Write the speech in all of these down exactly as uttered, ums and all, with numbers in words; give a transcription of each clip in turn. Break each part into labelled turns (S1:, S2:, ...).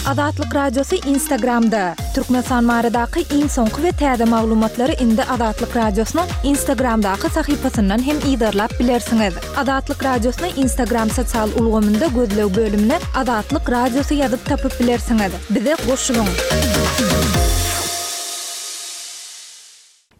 S1: Azatlyk Radiosy Instagramda! Türkmenistan baradaky iň soňky we täze maglumatlary indi Azatlyk Radiosynyň Instagramdaky sahypasyndan hem yzarlap bilersiňiz. Azatlyk Radiosyny Instagram sosial ulgamynda gözleg bölümine Azatlyk Radiosy ýazyp tapyp bilersiňiz. Bize goşulyň!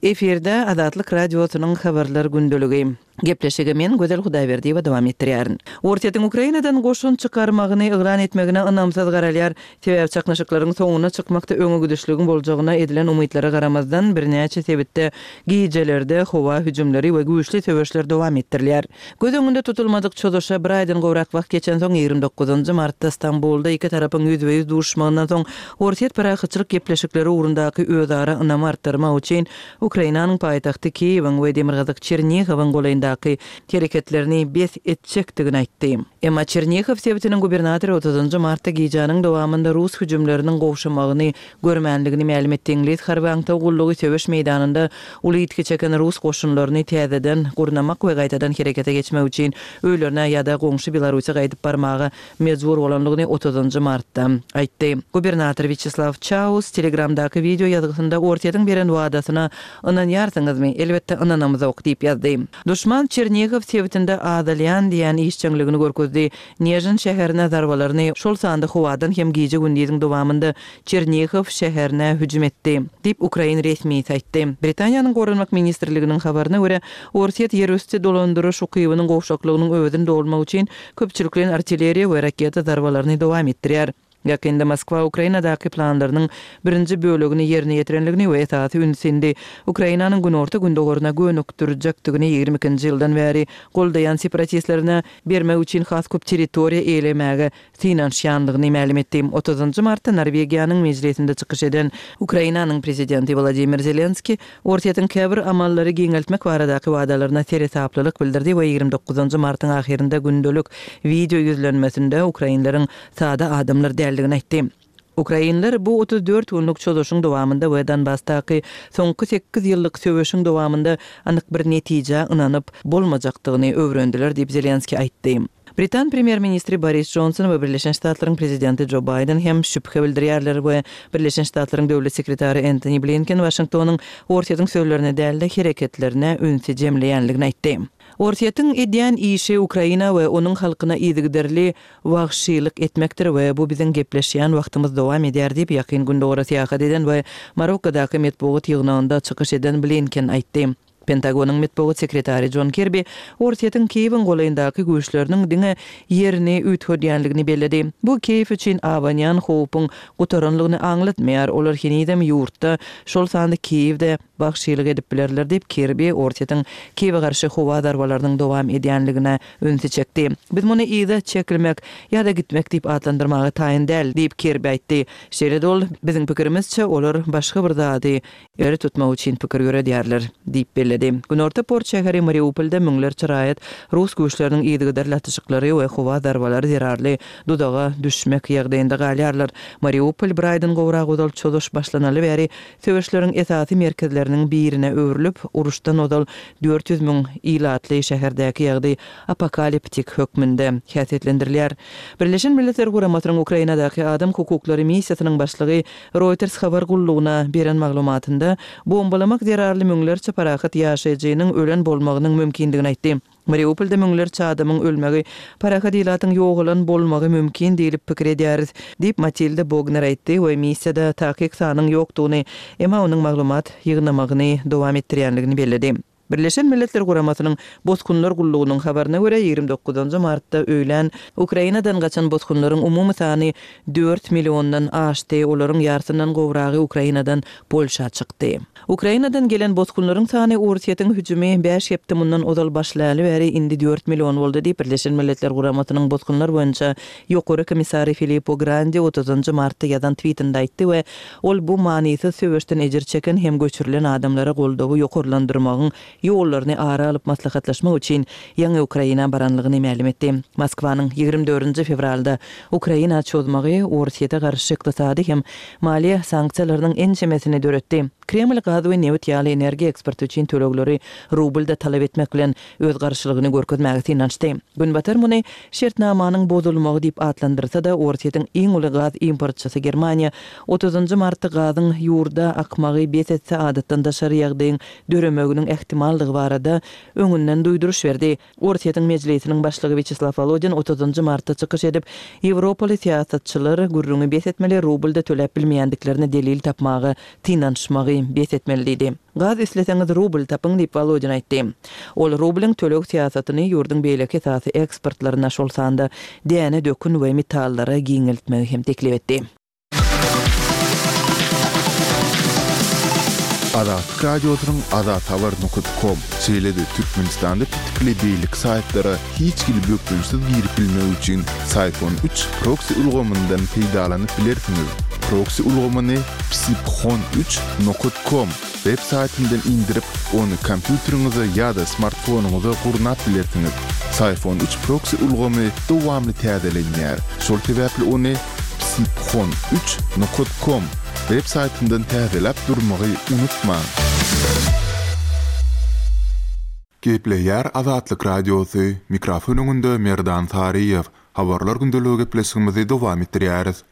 S2: Efirde Azatlyk Radiosynyň Habarlar gündeligi. Gepleşigi men Gözel Hudaýberdiýewa dowam etdirýärin. Orsýetiň Ukrainadan goşun çykarmagyny yglan etmegine ynamsyz garalýar. Sebäbi çaknyşyklaryň soňuna çykmakda öňe gidişligiň boljagyna edilen umytlara garamazdan, birnäçe sebitde gijelerde howa hüjümleri we güýçli söweşler dowam etdirilýär. Göz öňünde tutulmadyk çozuşa bir aýdan gowrak wagt geçensoň, ýigrimi dokuzynjy martda Stambulda iki tarapyň ýüzbe-ýüz duşuşmagyndan soň, Orsýet parahatçylyk gepleşikleri ugrundaky özara ynamy artdyrmak üçin Ukrainanyň paýtagty Kiýewiň we demirgazyk Çernihowyň golaýyndaky hereketlerini bes etjekdigini aýtdy. Emma Çernihow sebitiniň gubernatory otuzynjy martda gijäniň dowamynda rus hüjümleriniň gowşamagyny görmänligini mälim etdi. Iňlis harby aňtaw gullugy söweş meýdanynda uly ýitgi çeken rus goşunlaryny täzeden gurnamak we gaýtadan herekete geçmek üçin öýlerine ýa-da goňşy Belarusa gaýdyp barmaga mejbur bolandygyny otuzynjy martda aýtdy. Gubernator Wiçeslaw Çaus Telegramdaky wideo ýazgysynda Orsýetiň beren wadasyna ynanýarsyňyzmy? Elbetde ynanamzok diýip ýazdy. Duşman Çernihow sebitinde azalýan diýen işjeňligini görkezdi. Nežin şäherine zarbalaryny, şol sanda howadan hem gije-gündiziň dowamynda Çernihow şäherine hüjüm etdi, diýip, ukrain resmisi aýtdy. Britaniýanyň Goranmak ministrliginiň habaryna görä, Orsýet ýerüsti dolandyryş ukybynyň gowşaklygynyň öwezini dolmak üçin köpçülikleýin artilleriýa we raketa zarbalaryny dowam etdirýär. Ýakynda Moskwa Ukrainadaky planlarynyň birinji bölegini ýerine ýetirenligini we esasy ünsi indi Ukrainanyň günorta-gündogaryna gönükdirjekdigini ýigrimi ikinji ýyldan bäri goldaýan separatistlerine bermek üçin has köp territoriýa eýelemäge synanyşýandygyny mälim etdi. Otuzynjy martda Norwegiýanyň mejlisinde çykyş eden Ukrainanyň prezidenti Wladimir Zelenskiý Orsýetiň käbir amallary giňeltmek baradaky wadalaryna seresaplylyk bildirdi we ýigrimi dokuzynjy martyň ahyrynda gündelik wideo ýüzlenmesinde ukrainleriň sada adamlar däldigini aýtdy. Ukrainler bu otuz dört günlük çozuşyň dowamynda we Donbasdaky soňky sekiz ýyllyk söweşiň dowamynda anyk bir netijä ynanyp bolmajakdygyny öwrendiler diýip, Zelenskiý aýtdy. Britan premýer-ministri Boris Jonson we Birleşen Ştatlaryň prezidenti Jo Baýden hem şübhe bildirýärler we Birleşen Ştatlaryň döwlet sekretary Entoni Blinken Waşingtonyň Orsýetiň sözlerine däl-de, hereketlerine ünsi jemleýänligini aýtdy. Orsýetiň edýän işi Ukraina we onuň halkyna yzygiderli wagşylyk etmekdir we bu biziň gepleşýän wagtymyz dowam edýär diýip, Ýakyn Gündogara syýahat eden we Marokkadaky metbugat ýygnagynda çykyş eden Blinken aýtdy. Pentagonyň metbugat sekretary Jon Kirbi Orsýetiň Kiýewiň golaýyndaky güýçleriniň diňe ýerini üýtgedýänligini belledi. Bu Kiýew üçin abanýan howpuň gutaranlygyny aňlatmaýar, olar henizem ýurtda, şol sanda Kiýewde wagşylyk edip bilerler diýip, Kirbi Orsýetiň Kiýewe garşy howa zarbalarynyň dowam edýänligine ünsi çekdi. Biz muny yza çekilmek ýa-da gitmek diýip atlandyrmaga taýyn däl, diýip, Kirbi aýtdy. Şeýle-de ol, Biziň pikirimizçe, olar başga bir zady ileri tutmak üçin pikir ýöredýärler, diýip belledi. Günorta port şäheri Mariupolda müňlerçe raýat rus güýçleriniň yzygiderli atyşyklary we howa zarbalary zerarly duzaga düşmek ýagdaýynda galýarlar. Mariupol bir aýdan gowrak ozal çozuş başlanaly bäri söweşleriň esasy merkezleriniň birine öwrülip, uruşdan ozal dört ýüz müň ilatly şäherdäki ýagdaý apokaliptik hökmünde häsiýetlendirilýär. Birleşen Milletler Guramasynyň Ukrainadaky adam hukuklary missiýasynyň başlygy Reuters habar gullugyna beren maglumatynda, bombalamak zerarly müňlerçe parahat ýaşaýjynyň ölen bolmagynyň mümkindigini aýtdy. Mariupolda müňlerçe adamyň ölmegi, parahat ilatyň ýogalan bolmagy mümkin diýlip pikir edýäris, diýip, Matilda Bogner aýtdy we missiýada takyk sanyň ýokdugyny, emma onuň maglumat ýygnamagyny dowam etdirýänligini belledi. Birleşen Milletler Guramasynyň Bosgunlar gullugynyň habaryna görä, ýigrimi dokuzynjy martda öýlän Ukrainadan gaçan bosgunlaryň umumy sany dört milliondan aşdy, olaryň ýarsyndan gowragy Ukrainadan Polşa çykdy. Ukrainadan gelen bosgunlaryň sany Orsýetiň hüjümi bäş hepde mundan ozal başlaly bäri indi dört million boldy diýip, Birleşen Milletler Guramasynyň Bosgunlar boýunça Ýokary komissary Filippo Grandi otuzynjy martda ýazan twitinde aýtdy we ol bu manysyz söweşden ejir çeken hem göçürilen adamlara goldawy ýokarlandyrmagyň ýollaryny ara alyp maslahatlaşmak üçin ýaňy Ukraina baranlygyny mälim etdi. Moskwanyň ýigrimi dördünji fewralda Ukraina çozmagy Orsýete garşy ykdysady hem maliýe sanksiýalarynyň ençemesini döretdi. Kreml gaz we nebit ýaly energiýa eksporty üçin tölegleri rublda talap etmek bilen öz garşylygyny görkezmäge synanyşdy. Günbatar muny şertnamanyň bozulmagy diýip atlandyrsa-da, Orsýetiň iň uly gaz importçysy Germaniýa otuzynjy martda gazyň ýurda akmagy bes etse adatdan daşary ýagdaýyň döremeginiň ähtimallygy barada öňünden duýduryş berdi. Orsýetiň Mejlisiniň başlygy Wýaçeslaw Wolodin otuzynjy martda çykyş edip, ýewropaly syýasatçylar gürrüňi bes etmeli, rublda töläp bilmeýändiklerine delil tapmaga synanyşmagy bes etmeli diýdi. Gaz isleseňiz rubl tapyň diýip, Wolodin aýtdy. Ol rublyň töleg syýasatyny ýurduň beýleki esasy eksportlaryna, şol sanda däne, dökün we metallara giňeltmegi hem teklip etdi.
S3: Azatlyk Radiosynyň azathabar nokat kom, şeýle-de Türkmenistanda petikli beýleki saýtlara hiç hili bökdençsiz girip bilmek üçin Syphon üç proksi ulgamyndan peýdalanyp bilersiňiz. Proksi ulgamyny psiphon üç nokat kom web saýtyndan indirip, ony kompýuteriňize ýa-da smartfonyňyza gurnap bilersiňiz. Syphon üç proksi ulgamy dowamly täzelenýär, şol sebäpli ony psiphon üç nokat kom web saýtyndan täzeläp durmagy unutmaň. Gepleýär Azatlyk Radiosy, mikrofon öňünde Merdan Saryýew. Habarlar gündeligi gepleşigimizi dowam etdirýäris.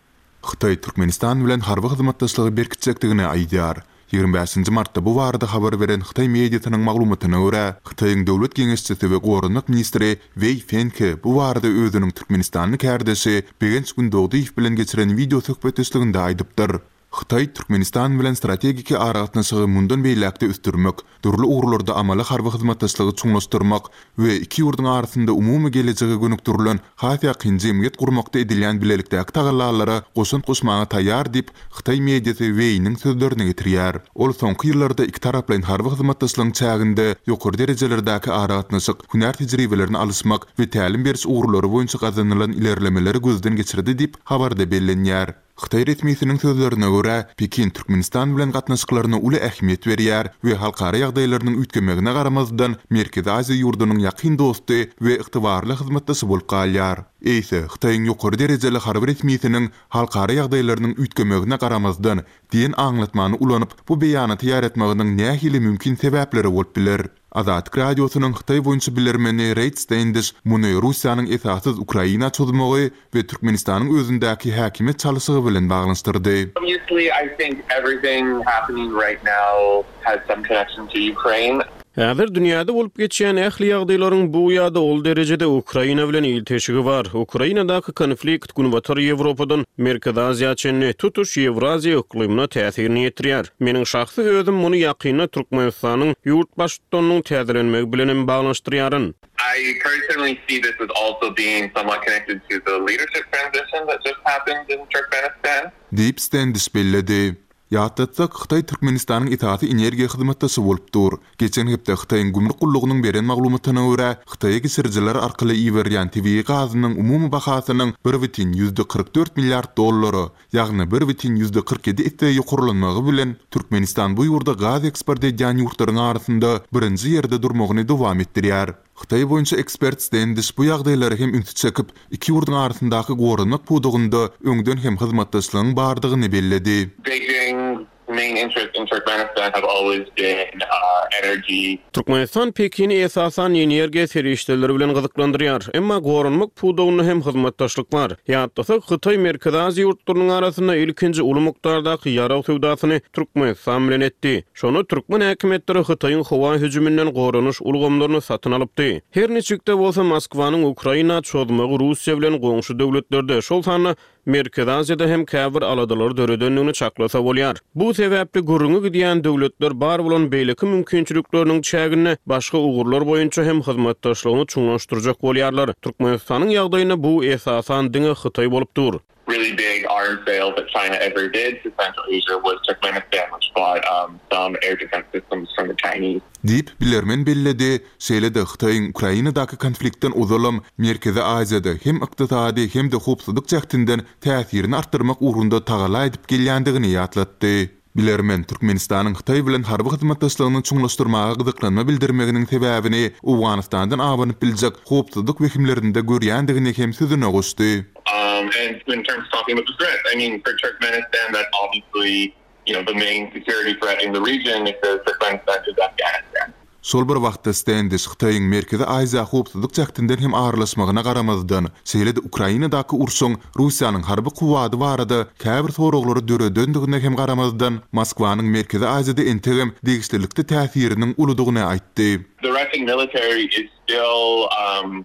S3: Hytaý Türkmenistan bilen harby hyzmatdaşlygy berkitjekdigini aýdýar. Ýigrimi bäşinji martda bu barada habar beren hytaý mediasynyň maglumatyna görä, Hytaýyň döwlet geňeşçisi we goranmak ministri Weý Fenke bu barada özüniň türkmenistanly kärdeşi Begenç Gündogdyýew bilen geçiren wideo söhbetdeşliginde aýdypdyr. Hytaý Türkmenistan bilen strategiki aragatnaşygy mundan beýläk-de ösdürmek, dürli ugurlarda amaly harby hyzmatdaşlygy çuňlaşdyrmak we iki ýurduň arasynda umumy gelejege gönükdirilen has ýakyn jemgyýet gurmakda edilýän bilelikdäki tagallalara goşant goşmaga taýýar diýip, Hytaý mediasy Weýniň sözlerini getirýär. Ol soňky ýyllarda iki taraplaýyn harby hyzmatdaşlygyň çäginde ýokary derejelerdäki aragatnaşyk, hünär tejribelerini alyşmak we tälim beriş ugurlary boýunça gazanylan ilerlemeleri gözden geçirdi diýip, habarda bellenýär. Hytaý resmisiniň sözlerine görä, Pekin Türkmenistan bilen gatnaşyklaryna uly ähmiýet berýär we halkara ýagdaýlarynyň üýtgemegine garamazdan Merkezi Aziýa ýurdunyň ýakyn dosty we ygtybarly hyzmatdaşy bolup galýar. Eýse, Hytaýyň ýokary derejeli harby resmisiniň halkara ýagdaýlarynyň üýtgemegine garamazdan diýen aňlatmany ulanyp, bu beýanaty ýaratmagynyň nähili mümkin sebäpleri bolup biler? Azatlyk Radiosynyň Hytaý boýunça bilermeni Reýd Stendiş muny Russiýanyň esassyz Ukraina çozmagy we Türkmenistanyň özündäki häkimiýet çalyşygy bilen baglanyşdyrdy.
S4: Obviously, I think everything happening right now has some connection to Ukraine.
S5: Häzir dünýäde bolup geçýän ähli ýagdaýlaryň bu ýa-da ol derejede Ukraina bilen ilteşigi bar. Ukrainadaky konflikt Günbatar Ýewropadan Merkezi Aziýa çenli tutuş Ýewraziýa yklymyna täsirini ýetirýär. Meniň şahsy özüm muny ýakynda Türkmenistanyň ýurt baştutanynyň täzelenmegi bilen hem baglanyşdyrýaryn.
S4: I personally see this as also being somewhat connected to the leadership transition that just happened in Turkmenistan.
S3: Diýip, Stendiş belledi. Ýatlatsak, Hytaý Türkmenistanyň esasy energiýa hyzmatdaşy bolup dur. Geçen hepde Hytaýyň gümrük gullugynyň beren maglumatyna görä, Hytaýa geçirijiler arkaly iberilýän tebigy gazynyň umumy bahasynyň bir bütin ýüzde kyrk dört milliard dollara, ýagny bir bütin ýüzde kyrk ýedi esse ýokarlanmagy bilen Türkmenistan bu ýurda gaz eksport edýän ýurtlaryň arasynda birinji ýerde durmagyny dowam etdirýär. Hytaý boýunça ekspert Stendiş bu ýagdaýlara hem ünsi çekip, iki ýurduň arasyndaky goranmak pudagynda öňden hem hyzmatdaşlygyň bardygyny belledi.
S4: Beijing's main interest in Turkmenistan have always been, uh, energy.
S5: Türkmenistan Pekini esasan energiýa serişdeleri bilen gyzyklandyrýar. Emma goranmak pudagynda hem hyzmatdaşlyk bar. Ýatlasak, Hytaý Merkezi Aziýa ýurtlarynyň arasynda ilkinji uly mukdardaky ýarag söwdasyny Türkmenistan bilen etdi. Şonda türkmen häkimiýetleri Hytaýyň howa hüjüminden goranyş ulgamlaryny satyn alypdy. Her niçik-de bolsa Moskwanyň Ukraina çozmagy Russiýa bilen goňşy döwletlerde, şol sanda Merkezi Aziýada hem käbir aladalary döredendigini çaklasa bolýar. Bu sebäpli gürrüňi gidýän döwletler bar bolan beýleki mümkinçilikleriniň çäginde başga ugurlar boýunça hem hyzmatdaşlygyny çuňlaşdyrjak bolýarlar. Türkmenistanyň ýagdaýynda bu esasan diňe Hytaý bolup dur.
S4: Really big arms sale that China ever did to Central Asia was Turkmenistan, which bought, um, some air defense systems from the Chinese.
S3: Diýip, bilermen belledi. Şeýle-de Hytaýyň Ukrainadaky konfliktden ozalam Merkezi Aziýada hem ykdysady hem-de howpsuzlyk jähtinden täsirini artdyrmak ugrunda tagalla edip gelýändigini ýatlatdy. Bilermen Türkmenistanyň Hytaý bilen harby hyzmatdaşlygyny çuňlaşdyrmaga gyzyklanma bildirmeginiň sebäbini Owganystandan abanyp biljek howpsuzlyk wehimlerinde görýändigini hem sözüne goşdy.
S4: Um, and in terms of talking about the threats, I mean, for Turkmenistan, that's obviously, you know, the main security threat in the region if there's Turkmenistan is Afghanistan.
S3: Şol bir wagtda Stendiş Hytaýyň Merkezi Aziýa howpsuzlyk jähtinden hem aralaşmagyna garamazdan, şeýle-de Ukrainadaky urşuň Russiýanyň harby kuwwady barada käbir soraglary döredendigine hem garamazdan, Moskwanyň Merkezi Aziýada entegem degişlilikde täsiriniň uludygyny aýtdy.
S4: The Russian military is still um,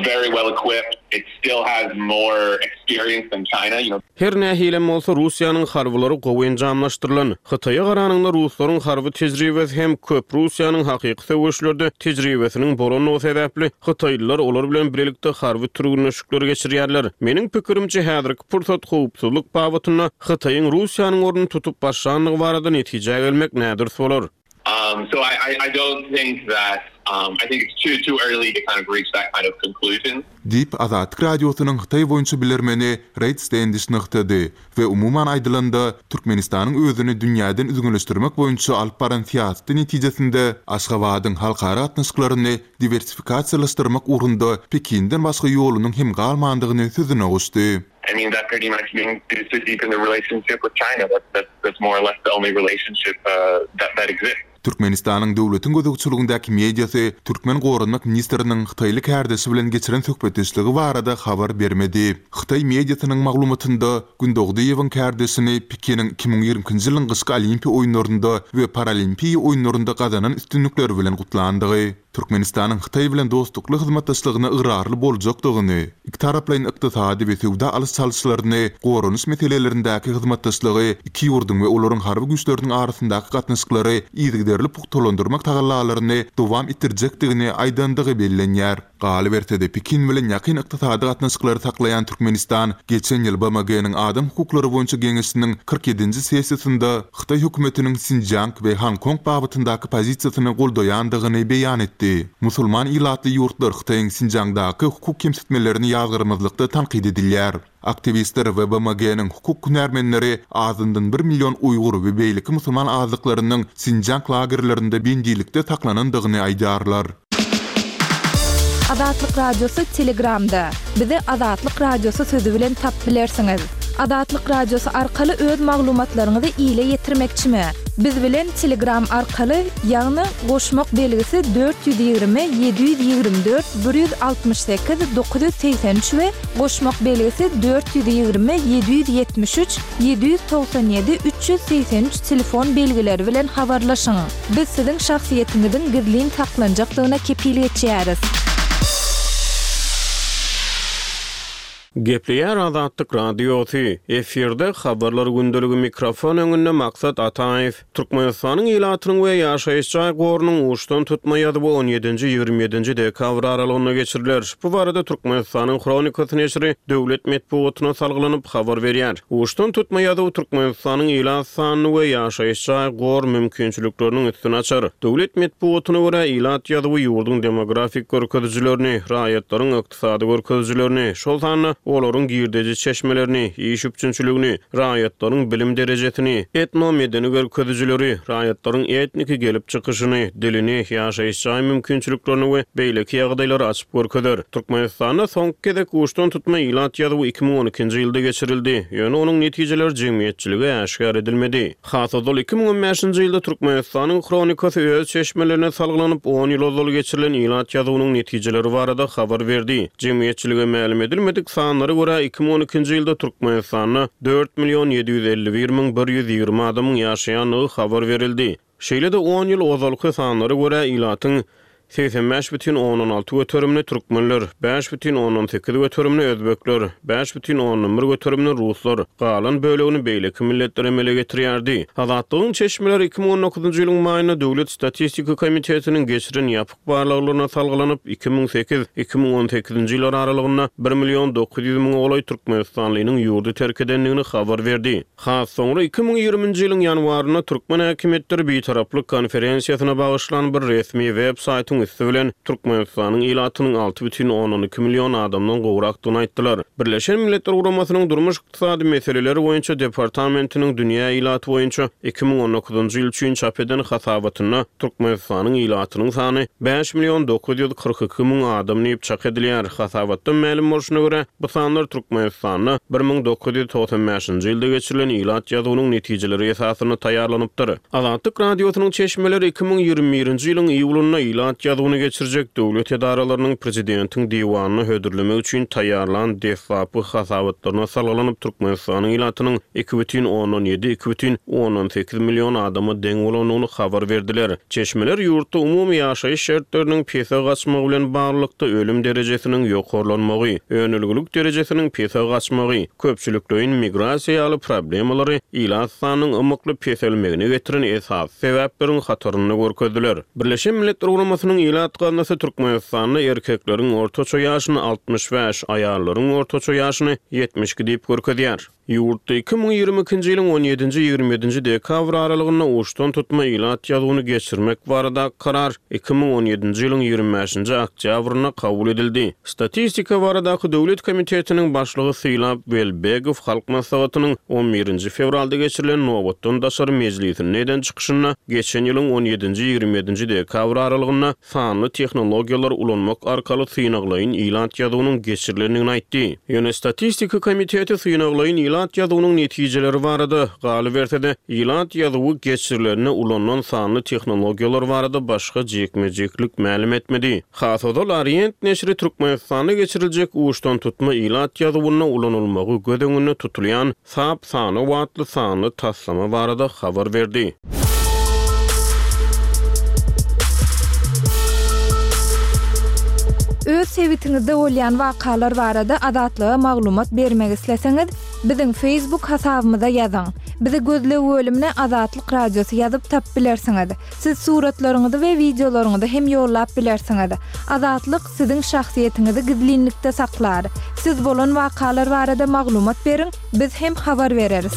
S4: very well equipped. It still has more experience than China. You know,
S5: Her nähilem bolsa Russiýanyň harbylary gowy enjamlaşdyrylan. Hytaýa garanyňda ruslaryň harby tejribesi hem köp Russiýanyň hakyky söweşlerde tejribesiniň bolanlygy sebäpli Hytaýlylar olar bilen birlikde harby türgenleşikleri geçirýärler. Meniň pikirimçe häzirki pursat howpsuzlyk babatynda Hytaýyň Russiýanyň ornuny tutup başlandygy barada netijä gelmek nädürs bolar.
S4: um, so I, I, I don't think that um, I think it's too too early to kind of reach that kind of conclusion.
S3: Diýip Azatlyk Radiosynyň Hytaý boýunça bilermeni Reid Stendiş nygtady we umuman aýdylanda Türkmenistanyň özüni dünýäden üzňeleşdirmek boýunça alyp baran syýasaty netijesinde Aşgabadyň halkara gatnaşyklaryny diwersifikasiýalaşdyrmak ugrunda Pekinden başga ýolunyň hem galmandygyny sözüne goşdy.
S4: I mean, that pretty much means to, to deepen the relationship with China. That's, that's, that's more or less the only relationship uh, that, that exists.
S3: Türkmenistanyň döwletiň gözegçiligindäki mediasy Türkmen Goranmak ministriniň Hytaýly kärdeşi bilen geçiren söhbetdeşligi barada habar bermedi. Hytaý mediasynyň maglumatynda Gündogdyýewiň kärdeşini Pekiniň iki müň ýigrimi ikinji ýylyň gyşky olimpiýa oýunlarynda we paralimpiýa oýunlarynda gazanan üstünlikleri bilen gutlandygy, Türkmenistanyň Hytaý bilen dostlukly hyzmatdaşlygyna ygrarly boljakdygyny, iki taraplaýyn ykdysady we söwda alyş-çalyşlaryny, goranyş meselelerindäki hyzmatdaşlygy, iki ýurduň we olaryň harby güýçleriniň arasyndaky gatnaşyklary yzygiderli pugtalandyrmak tagallalaryny dowam etdirjekdigini aýdandygy bellenýär. Galyberse-de Pekin bilen ýakyn ykdysady gatnaşyklary saklaýan Türkmenistan geçen ýyl B M G-niň Adam hukuklary boýunça geňeşiniň kyrk ýedinji sessiýasynda Hytaý hökümetiniň Sinjiang we Hong Kong babatyndaky pozisiýasyny goldaýandygyny beýan etdi. Musulman ilatly ýurtlar Hytaýyň Sinjiangdaky hukuk kemsitmelerini ýazgyrmazlykda tankyt edilýär. Aktiwistler we B M G-niň hukuk hünärmenleri azyndan bir million Uýgur we beýleki musulman azlyklarynyň Sinjiang lagerlerinde bendilikde saklanandygyny aýdýarlar.
S1: Azatlyk Radiosy Telegramda. Bizi Azatlyk Radiosy sözi bilen tap bilersiňiz. Azatlyk Radiosy arkaly öz maglumatlaryňyzy ile ýetirmekçimi? Biz bilen Telegram arkaly, ýagny goşmak belgisi dört ýüz ýigrimi ýedi ýüz ýigrimi dört bir ýüz altmyş sekiz dokuz ýüz segsen üç we goşmak belgisi dört ýüz ýigrimi ýedi ýüz ýetmiş üç ýedi ýüz togsan ýedi üç ýüz segsen üç telefon belgileri bilen habarlaşyň. Biz siziň şahsyýetiňiziň gizlin saklanjakdygyna kepil geçýäris.
S5: Gepleýär Azatlyk Radiosy. Efirde habarlar gündeligi mikrofon öňünde Maksat Ataýew. Türkmenistanyň ilatynyň we ýaşaýyş jaý gorunyň uçdan tutma ýazuwy on ýedinji ýigrimi ýedinji dekabr aralygynda geçiriler. Bu barada Türkmenistanyň Hronikasy neşiri döwlet metbugatyna salgylanyp habar berýär. Uçdan tutma ýazuwy Türkmenistanyň ilat sanyny we ýaşaýyş jaý gor mümkinçilikleriniň üstüni açar. Döwlet metbugatyna görä ilat ýazuwy ýurduň demografik görkezijilerini, raýatlaryň ykdysady görkezijilerini, şol sanda olaryň girdeji çeşmelerini, iş üpjünçiligini, raýatlaryň bilim derejesini, etno-medeni görkezijileri, raýatlaryň etniki gelip çykyşyny, dilini, ýaşaýyş jaý mümkinçiliklerini we beýleki ýagdaýlary açyp görkezer. Türkmenistanda soňky gezek uçdan tutma ilat ýazuwy iki müň on ikinji ýylda geçirildi. Ýöne onuň netijeleri jemgyýetçilige äşgär edilmedi. Has ozal iki müň on bäşinji ýylda Türkmenistanyň Hronikasy öz çeşmelerine salgylanyp on ýyl ozal geçirilen ilat ýazuwynyň netijeleri barada habar berdi. Jemgyýetçilige mälim edilmedik sanlara görä iki müň on ikinji ýylda Türkmenistanda dört million ýedi ýüz elli bir müň bir ýüz ýigrimi adamyň ýaşaýandygy habar berildi. Şeýle-de on ýyl ozalky sanlara görä ilatyň segsen bäş bütin ondan alty göterimini türkmenler, bäş bütin ondan sekiz göterimini özbekler, bäş bütin ondan bir göterimini ruslar, galan bölegini beýleki milletler emele getirýärdi. Azatlygyň çeşmeleri iki müň on dokuzynjy ýylyň maýynda Döwlet statistika komitetiniň geçiren ýapyk barlaglaryna salgylanyp iki müň sekiz iki müň on sekizinji ýyllar aralygynda bir million dokuz ýüz müňe golaý Türkmenistanlynyň ýurdy terk edendigini habar berdi. Has soňra iki müň ýigriminji ýylyň ýanwarynda Türkmen häkimiýetleri Bitaraplyk konferensiýasyna bagyşlan bir resmi web saýtyň Orsýetiň üsti bilen Türkmenistanyň ilatynyň alty bütin ondan iki million adamdan gowrakdygyny aýtdylar. Birleşen Milletler Guramasynyň Durmuş-ykdysady meseleleri boýunça departamentiniň dünýä ilaty boýunça iki müň on dokuzynjy ýyl üçin çap eden hasabatynda Türkmenistanyň ilatynyň sany bäş million dokuz ýüz kyrk iki müň adam diýip çak edilýär. Hasabatdan mälim bolşuna görä, bu sanlar Türkmenistanda bir müň dokuz ýüz togsan bäşinji ýylda geçirilen ilat ýazuwynyň netijeleri esasynda taýýarlanypdyr. Azatlyk Radiosynyň çeşmeleri iki müň ýigrimi birinji ýylyň iýulynda ilat ýazuwyny geçirjek döwlet edaralarynyň prezidentiň diwanyna hödürlemek üçin taýýarlan deslapky hasabatlaryna salgylanyp Türkmenistanyň ilatynyň iki bütin ondan ýedi, iki bütin ondan sekiz million adama deň bolandygyny habar berdiler. Çeşmeler ýurtda umumy ýaşaýyş şertleriniň pese gaçmagy bilen baglylykda ölüm derejesiniň ýokarlanmagy, önelgilik derejesiniň pese gaçmagy, köpçülikleýin migrasiýa ýaly problemalary ilat sanynyň ymykly peselmegine getiren esasy sebäpleriň hatarynda görkezdiler. Birleşen Milletler Guramasynyň ilat gaznasy Türkmenistanda erkekleriň ortaça ýaşyny altmyş bäş, aýallaryň ortaça ýaşyny ýetmiş iki diýip görkezýär. Ýurtda iki müň ýigrimi ikinji ýylyň on ýedinji ýigrimi ýedinji dekabr aralygynda uçdan tutma ilat ýazuwyny geçirmek barada karar iki müň on ýedinji ýylyň ýigrimi bäşinji oktýabrynda kabul edildi. Statistika baradaky Döwlet komitetiniň başlygy Sylap Welbegow Halk Maslahatynyň on birinji fewralda geçirilen nobatdan daşary mejlisinde eden çykyşynda geçen ýylyň on ýedinji ýigrimi ýedinji dekabr aralygynda sanly tehnologiýalar ulanmak arkaly synaglaýyn ilat ýazuwynyň geçirilendigini aýtdy. Ýöne Statistika komiteti synaglaýyn ilat ýazuwynyň netijeleri barada galyberse-de, ilat ýazuwy geçirilenine ulanylan sanly tehnologiýalar barada başga jikme-jiklik mälim etmedi. Has ozal Orient neşiri Türkmenistanda geçiriljek uçdan tutma ilat ýazuwynda ulanylmagy göz öňünde tutulýan SAP sany atly sanly taslama barada habar berdi.
S1: Öz sebitiňizde bolýan wakalar barada Azatlyga maglumat bermek isleseňiz, biziň Facebook hasabymyza ýazyň. Bizi gözleg bölümine Azatlyk Radiosy ýazyp tap bilersiňiz. Siz suratlaryňyzy we wideolaryňyzy hem ýollap bilersiňiz. Azatlyk siziň şahsyýetiňizi gizlinlikde saklar. Siz bolan wakalar barada maglumat beriň, biz hem habar bereris.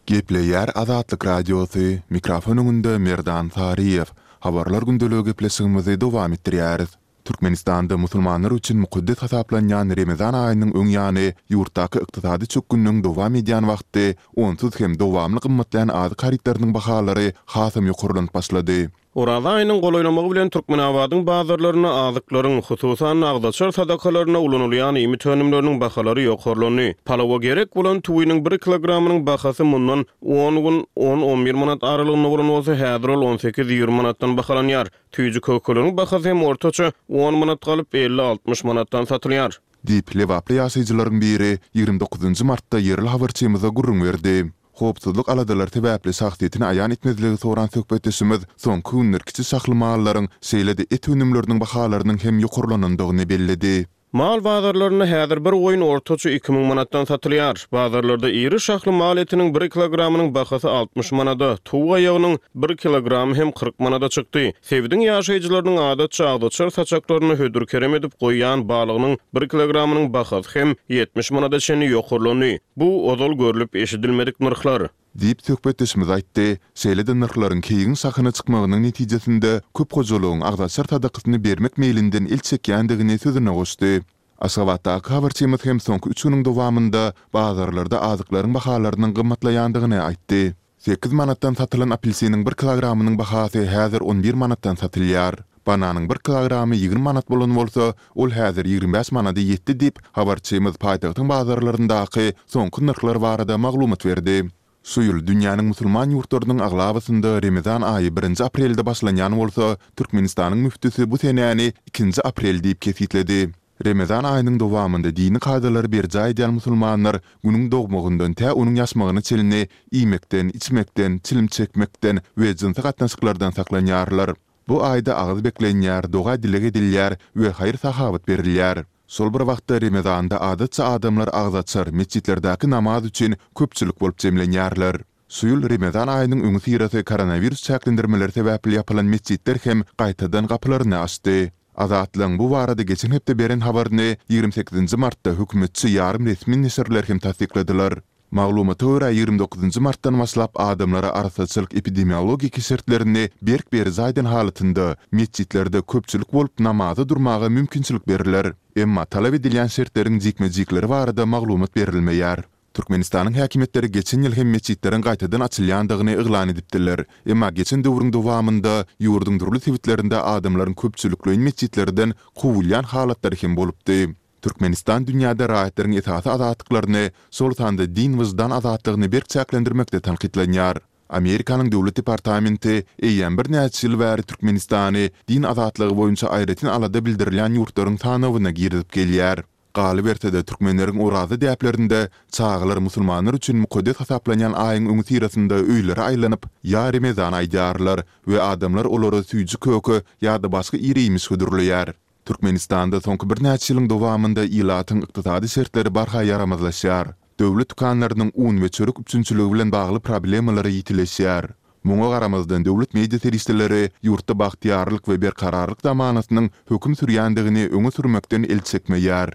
S3: Gepleýär Azatlyk Radiosy, mikrofon öňünde Merdan Saryýew. Habarlar gündeligi gepleşigimizi dowam etdirýäris. Türkmenistanda musulmanlar üçin mukaddes hasaplanýan Remezan aýynyň öň ýany ýurtdaky ykdysady çökgünligiň dowam edýän wagty onsuz hem dowamly gymmatlaýan azyk harytlarynyň bahalary hasam ýokarlanyp başlady.
S5: Oraz aýynyň golaýlamagy bilen Türkmenabadyň bazarlarynda azyklaryň, hususan agzaçar sadakalaryna ulanylýan iýmit önümleriniň bahalary ýokarlandy. Palawa gerek bolan tüwiniň bir kilogramynyň bahasy mundan on gün on-on bir manat aralygynda bolan bolsa, häzir ol on sekiz-ýigrimi manatdan bahalanýar. Tüýji kökeleriň bahasy hem ortaça on manat galyp elli-altmyş manatdan satylýar.
S3: Diýip, Lebaply ýaşaýjylaryň biri ýigrimi dokuzynjy martda ýerli habarçymyza gürrüň berdi. Howpsuzlyk aladalary sebäpli şahsyýetini aýan etmezligi soran söhbetdeşimiz soňky günler kiçi şahly mallaryň, şeýle-de et önümleriniň bahalarynyň hem ýokarlanandygyny belledi.
S5: Mal bazarlarynda häzir bir goýun ortaça iki müň manatdan satylýar. Bazarlarda iri şahly mal etiniň bir kilogramynyň bahasy altmyş manada, towuk aýagynyň bir kilogramy hem kyrk manada çykdy. Sebitiň ýaşaýjylarynyň adatça agzaçar saçaklaryny hödür kerem edip goýýan balygynyň bir kilogramynyň bahasy hem ýetmiş manada çenli ýokarlandy. Bu ozal görlüp eşidilmedik nyrhlar.
S3: Diýip söhbetdeşimiz aýtdy. Şeýle-de nyrhlaryň keýigiň şahyna çykmagynyň netijesinde köp hojalygyň agzaçar sadakasyny bermek meýlinden el çekýändigini sözüne goşdy. Aşgabatdaky habarçymyz hem soňky üç günüň dowamynda bazarlarda azyklaryň bahalarynyň gymmatlaýandygyny aýtdy. Sekiz manatdan satylan apelsiniň bir kilogramynyň bahasy häzir on bir manatdan satylýar. Bananyň bir kilogramy ýigrimi manat bolan bolsa, ol häzir ýigrimi bäş manada ýetdi diýip, habarçymyz paýtagtyň bazarlaryndaky soňky nyrhlar barada maglumat berdi. Şu ýyl dünýäniň musulman ýurtlarynyň aglabasynda Remezan aýy birinji aprelde başlanýan bolsa, Türkmenistanyň müftüsi bu senäni ikinji aprel diýip kesitledi. Remezan aýynyň dowamynda dini kadalary berjaý edýän musulmanlar günüň dogmagyndan tä onuň ýaşmagyna çenli iýmekden, içmekden, çilim çekmekden we jynsy gatnaşyklardan saklanýarlar. Bu aýda agyz beklenýär, doga dileg edilýär we haýyr-sahawat berilýär. Şol bir wagtda Remezanda adatça adamlar agyz açar, mesjitlerdäki namaz üçin köpçülik bolup jemlenýärler. Şu ýyl Remezan aýynyň öňi syrasy koronawirus çäklendirmeleri sebäpli ýapylan mesjitler hem gaýtadan gapylaryny açdy. Azatlygyň bu barada geçen hepde beren habaryny ýigrimi sekizinji martda hökümetçi ýarym resmi neşirler hem tassykladylar. Maglumata görä, ýigrimi dokuzynjy martdan başlap adamlara arassaçylyk epidemiologiki şertlerini berk berjaý eden halatynda metjitlerde köpçülik bolup namaza durmaga mümkinçilik berler. Emma talap edilýän şertleriň jikme-jikleri barada maglumat berilmeýär. Türkmenistanyň häkimiýetleri geçen ýyl hem metjitleriň gaýtadan açylýandygyny yglan edipdiler. Emma geçen döwrüň dowamynda ýurduň dürli sebitlerinde adamlaryň köpçülikleýin metjitlerden kowulýan halatlary hem bolupdy. Türkmenistan dünýäde raýatlaryň esasy azatlyklaryny, şol sanda din-wyždan azatlygyny berk çäklendirmekde tankytlanýar. Amerikanyň Döwlet departamenti eýýäm birnäçe ýyl bäri Türkmenistany din azatlygy boýunça aýratyn alada bildirilýän ýurtlaryň sanawyna girizip gelýär. Galyberse-de, türkmenleriň oraza däplerinde çagalar musulmanlar üçin mukaddes hasaplanýan aýyň öňüsyrasynda öýlere aýlanyp, Ýa Remezan aýdýarlar we adamlar olara süýji-köke ýa-da başga ir-iýmiş hödürleýär. Türkmenistanda soňky birnäçe ýylyň dowamynda ilatyň ykdysady şertleri barha ýaramazlaşýar. Döwlet dükanlarynyň un we çörek üpjünçiligi bilen bagly problemalary ýitileşýär. Muňa garamazdan, döwlet media serişdeleri ýurtda bagtyýarlyk we berkararlyk zamanasynyň höküm sürýändigini öňe sürmekden el çekmeýär.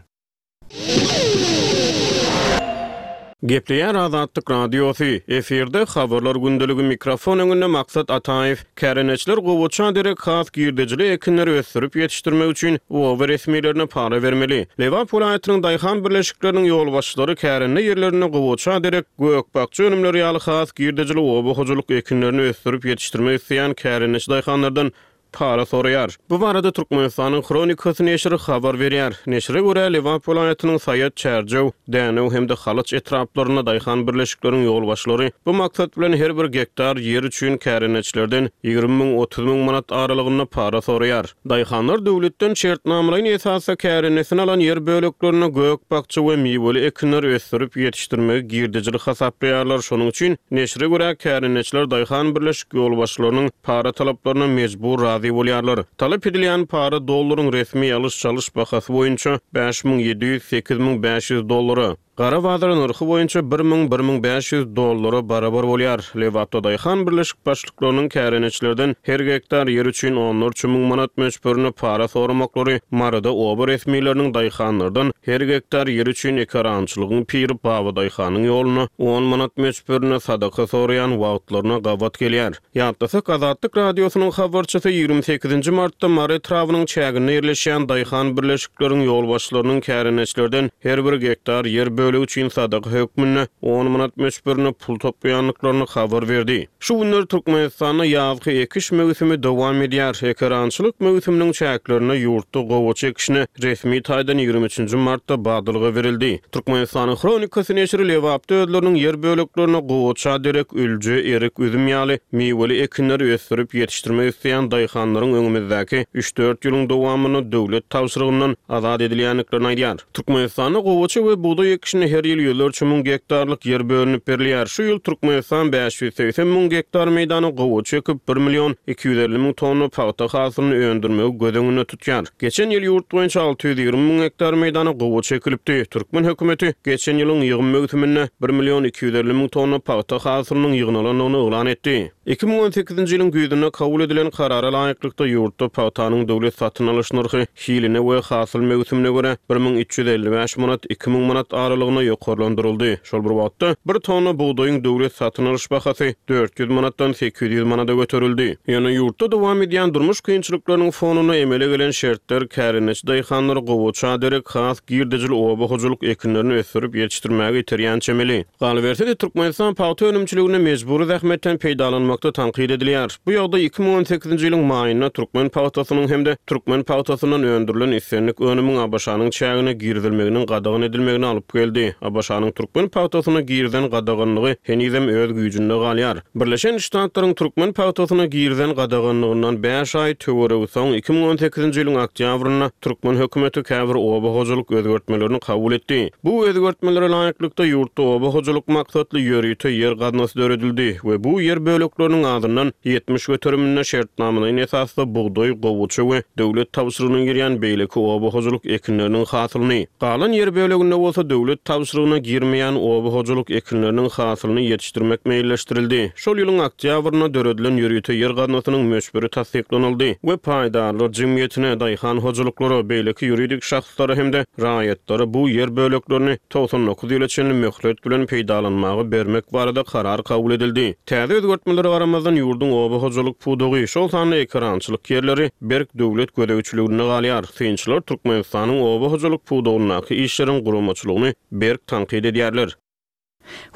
S5: Gepleýär Azatlyk Radiosy, efirde Habarlar gündeligi, mikrofon öňünde Maksat Ataýew. Kärendeçiler gowaça derek has girdejili ekinleri ösdürip ýetişdirmek üçin oba resmilerine para bermeli. Lebap welaýatynyň daýhan birleşikleriniň ýolbaşçylary kärende ýerlerinde gowaça derek gök-bakja önümleri ýaly has girdejili oba hojalyk ekinlerini ösdürip ýetişdirmek isleýän kärendeçi daýhanlardan para soraýar. Bu barada Türkmenistanyň Hronikasy neşiri habar berýär. Neşire görä, Lebap welaýatynyň Saýat, Çärjew, Dänew hem-de Halaç etraplarynda daýhan birleşikleriň ýolbaşçylary bu maksat bilen her bir gektar ýer üçin kärendeçilerden ýigrimi müň, otuz müň manat aralygynda para soraýar. Daýhanlar döwletden şertnamalaýyn esasda kärendesine alan ýer böleklerinde gök-bakja we miweli ekinleri ösdürip ýetişdirmegi girdejili hasaplaýarlar. Şonuň üçin, neşire görä, kärendeçiler daýhan birleşik ýolbaşçylarynyň para talaplaryna mejbur razy bolýarlar. Talap edilýän para dollaryň resmi alyş-çalyş bahasy boýunça bäş müň ýedi ýüz, sekiz müň bäş ýüz dollara, gara bazar nyrhy boýunça bir müň, bir müň bäş ýüz dollara barabar bolýar. Lebapda daýhan birleşik başlyklarynyň kärendeçilerden her gektar ýer üçin onlarça müň manat möçberinde para soramaklary Maryda oba resmileriniň daýhanlardan her gektar ýer üçin ekerançylygyň piri Babadaýhanyň ýoluna on manat möçberinde sadaka soraýan wagtlaryna gabat gelýär. Ýatlasak, Azatlyk Radiosynyň habarçysy ýigrimi sekizinji martda Mary etrabynyň çäginde ýerleşýän daýhan birleşikleriň ýolbaşçylarynyň kärendeçilerden her bir gektar ýer bölegi üçin sadaka hökmünde on manat möçberinde pul toplaýandyklaryny habar berdi. Şu günler Türkmenistanda ýazky ekiş möwsümi dowam edýär. Ekerançylyk möwsüminiň çäklerinde ýurtda gowaça ekişine resmi taýdan ýigrimi üçünji martda badalga berildi. Türkmenistanyň Hronikasy neşiri Lebapda özleriniň ýer böleklerine gowaça derek ülje, erik, üzüm ýaly miweli ekinleri ösdürip ýetişdirmek isleýän daýhanlaryň öňümizdäki üç-dört ýylyň dowamynda döwlet tabşyrygyndan azat edilýändiklerini aýdýar. Türkmenistanda gowaça we bugdaý ekişine her ýyl ýüzlerçe müň gektarlyk ýer bölünip berilýär. Şu ýyl Türkmenistan bäş ýüz segsen müň gektar meýdana gowaça ekip, bir million iki ýüz elli müň tonna pagta hasylyny öndürmegi göz öňünde tutýar. Geçen ýyl ýurt boýunça alty ýüz ýigrimi müň gektar meýdana gowaça ekilipdi. Türkmen hökümeti geçen ýylyň ýygym möwsüminde bir million iki ýüz elli müň tonna pagta hasylynyň ýygnalandygyny yglan etdi. Iki müň on sekizinji ýylyň güýzünde kabul edilen karara laýyklykda ýurtda pagtanyň döwlet satyn alyş nyrhy hiline we hasyl möwsümine görä bir müň üç ýüz elli bäş manat, iki müň manat aralygyna ýokarlandyryldy. Şol bir wagtda, bir tonna bugdaýyň döwlet satyn alyş bahasy dört ýüz manatdan sekiz ýüz manada göterildi. Ýöne ýurtda dowam edýän durmuş kynçylyklarynyň fonunda emele gelen şertler kärendeçi daýhanlary gowaça derek has girdejili oba hojalyk ekinlerini ösdürip ýetişdirmäge iterýän çemeli. Galyberse-de, Türkmenistan pagta önümçiliginde mejbury zähmetden peýdalanmakda tankyt edilýär. Bu ýagdaý iki müň on sekizinji ýylyň maýynda türkmen pagtasynyň hem-de türkmen pagtasyndan öndürilen islendik önümiň ABŞ-nyň çägine girizilmeginiň gadagan edilmegine alyp geldi. ABŞ-nyň türkmen pagtasyna girizen gadaganlygy henizem öz güýjünde galýar. Birleşen Ştatlaryň türkmen pagtasyna girizen gadaganlygyndan bäş aý töweregi soň iki müň on sekizinji ýylyň oktýabrynda türkmen hökümeti käbir oba hojalyk özgertmelerini kabul etdi. Bu özgertmelere laýyklykda ýurtda oba hojalyk maksatly ýörite ýer gaznasy döredildi we bu ýer bölekleriniň azyndan ýetmiş göteriminde şertnamalaýyn esasda bugdaý, gowaça we döwlet tabşyrygyna girýän beýleki oba hojalyk ekinleriniň hasylyny, galan ýer böleginde bolsa döwlet döwlet tabşyrygyna girmeýän oba hojalyk ekinleriniň hasylyny ýetişdirmek meýilleşdirildi. Şol ýylyň oktýabrynda döredilen ýörite ýer gaznasynyň möçberi tassyklanyldy we paýdarlar jemgyýetine, daýhan hojalyklara, beýleki ýuridik şahslara hem-de raýatlara bu ýer böleklerini togsan dokuz ýyla çenli möhlet bilen peýdalanmaga bermek barada karar kabul edildi. Täze özgertmelere garamazdan, ýurduň oba hojalyk pudagy, şol sanda ekerançylyk ýerleri berk döwlet gözegçiliginde galýar. Synçylar Türkmenistanyň oba hojalyk pudagyndaky işleriň guramaçylygyny berk tankyt edýärler.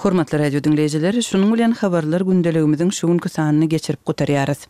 S2: Hormatly radio diňleýjiler, şunuň bilen habarlar gündeligimiziň şu günki sanyny geçirip gutarýarys.